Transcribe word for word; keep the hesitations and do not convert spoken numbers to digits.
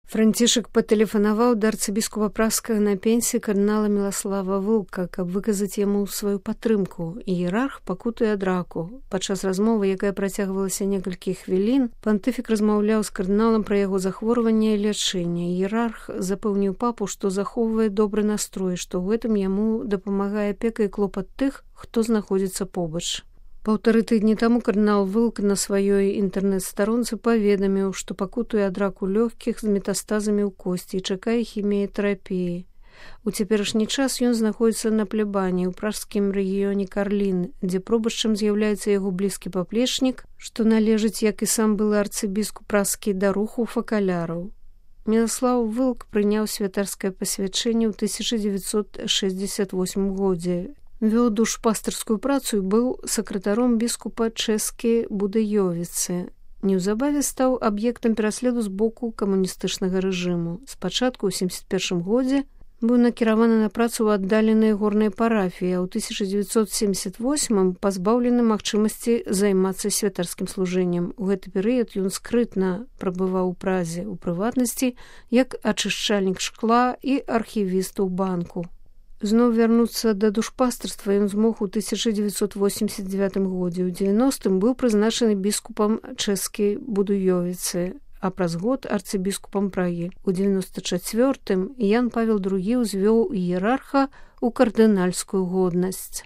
Францішак патэлефанаваў да арцыбіскупа Пражскага на пенсіі кардынала Міласлава Вылка, каб выказаць яму сваю падтрымку. Іерарх пакутуе ад раку. Падчас размовы, якая працягвалася некалькі хвілін, пантыфік размаўляў з кардыналам пра яго захворванне і лячэнне. Іерарх запэўніў папу, што захоўвае добры настрой, што ў гэтым яму дапамагае апека і клопат тых, хто знаходзіцца побач. Паўтары тыдні таму кардынал Вылк на сваёй інтэрнэт-старонцы паведаміў, што пакутуе ад раку лёгкіх з метастазамі ў косці і чакае хіміятэрапіі. У цяперашні час ён знаходзіцца на плебані ў пражскім рэгіёне Карлін, дзе пробашчам з'яўляецца яго блізкі паплечнік, што належыць, як і сам былы арцыбіскуп пражскі, да руху факаляраў. Міласлаў Вылк прыняў святарскае пасвячэнне ў тысяча дзевяцьсот шэсцьдзесят восьмым годзе. Вёў душпастырскую працу і быў сакратаром біскупа Чэскі Будыёвіцы. Неўзабаве стаў аб'ектам пераследу з боку камуністычнага рэжыму. Спачатку ў семдзесят першым годзе быў накіраваны на працу ў аддаленай горнай парафіі, а ў тысяча дзевяцьсот семдзесят восьмым пазбаўлены магчымасці займацца святарскім служэннем. У гэты перыяд ён скрытна прабываў у Празе, у прыватнасці, як ачышчальнік шкла і архівіст у банку. Зноў вярнуцца да душпастырства ён змог у тысяча дзевяцьсот восемьдесят девятым годзе. У дзевяностым быў прызначаны біскупам Чэскі Будыёвіцы, а праз год арцыбіскупам Прагі. У дзевяносто чацвёртым Ян Павел другі ўзвёў іерарха ў кардынальскую годнасць.